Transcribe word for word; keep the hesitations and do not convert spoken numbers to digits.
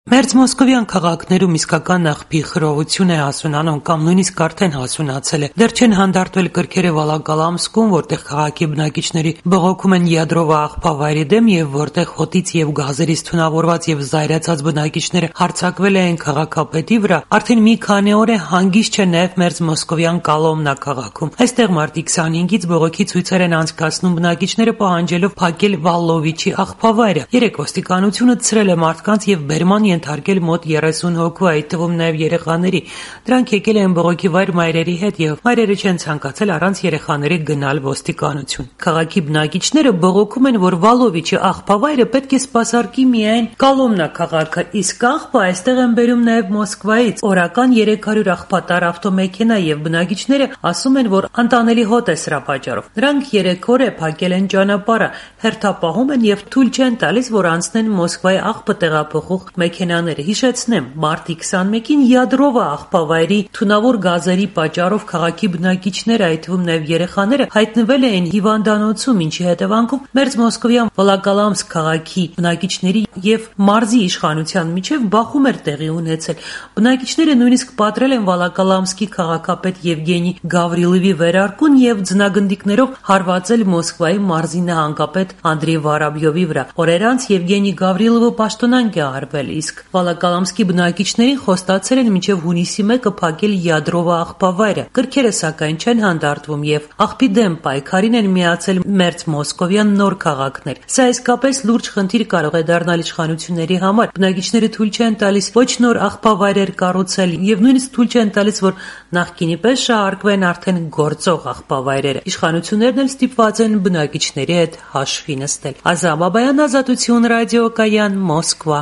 Մերձ մոսկովյան քաղաքներում իսկական աղբի խռովություն է հասունանում կամ նույնիսկ արդեն հասունացել է։ Դեռ չեն հանդարտվել կրքերը Վոլոգալամսկում, որտեղ քաղաքի բնակիչների բողոքում են յադրովա աղբավայրի դեմ եւ որտեղ հոտից եւ գազերից թունավորված եւ զայրացած բնակիչները հարձակվել են քաղաքապետի վրա, արդեն մի քանի օր է հանգիստ չէ նաեւ մերձ մոսկովյան Կոլոմնա քաղաքում։ Այստեղ մարտի քսանհինգից բողոքի ցույցեր են անցկացնում բնակիչները, պահանջելով փակել Վալլովիչի աղբավայրը։ Երեք ոստիկանությունը ցրել է մարդկանց եւ բերման ենթարկել մոտ երեսուն հոգու, այդ թվում նաև երեխաների։ Դրանք եկել են բողոքի վայր մայրերի հետ եւ մայրերը չեն ցանկացել առանց երեխաների գնալ ոստիկանություն։ Քաղաքի բնակիչները բողոքում են, որ Վալլովիչի աղբավայրը պետք է սպասարկի միայն Կոլոմնա քաղաքը, իսկ աղբը այստեղ են բերում նաև Մոսկվայից օրական երեք հարյուր աղբատար ավտոմեքենա եւ բնակիչները ասում են, որ անտանելի հոտ է սրա պատճառով։ Նրանք երեք օր է փակել են ճանապարհը, հերթապահում են եւ թույլ չեն տալիս, որ անցնեն Մոսկվայի աղբը տեղափոխող մեքենաները։ Հիշեցնեմ, մարտի քսանմեկին յադրովա աղբավայրի թունավոր գազերի պատճառով քաղաքի բնակիչները, այդ թվում նաև երեխաները, հայտնվել էին հիվանդանոցում, ինչի հետևանքով մերձ մոսկովյան Վոլոգալամսկ քաղաքի բնակիչների եւ մարզի իշխանության միջև բախում էր տեղի ունեցել։ Բնակիչները նույնիսկ պատրել են Վոլոգալամսկի քաղաքապետ Եվգենի Գավրիլովի վերարկուն եւ ձնագնդիկներով հարվածել Մոսկվայի մարզի նահանգապետ Անդրեյ Վարաբյովի վրա։ Օրեր անց Եվգենի Գավրիլովը պաշտոնանկ է արվել, իսկ Վոլոգալամսկի բնակիչներին խոստացել են մինչև հունիսի մեկը փակել յադրովա աղբավայրը։ Կրքերը սակայն չեն հանդարտվում եւ աղբի դեմ պայքարին են միացել մերձ մոսկովյան նոր քաղաքներ։ Սա իսկապես լուրջ խնդիր կարող է դառնալ իշխանությունների համար։ Բնակիչները թույլ չեն տալիս ոչ նոր աղբավայրեր կառուցել եւ նույնիսկ թույլ չեն տալիս, որ նախկինի պես շահարկվեն արդեն գործող աղբավայրերը։ Իշխանություններն էլ ստիպված են բնակիչների հետ հաշվի նստել։ Ազա Բաբայան, Ազատություն ռադիոկայան, Մոսկվա։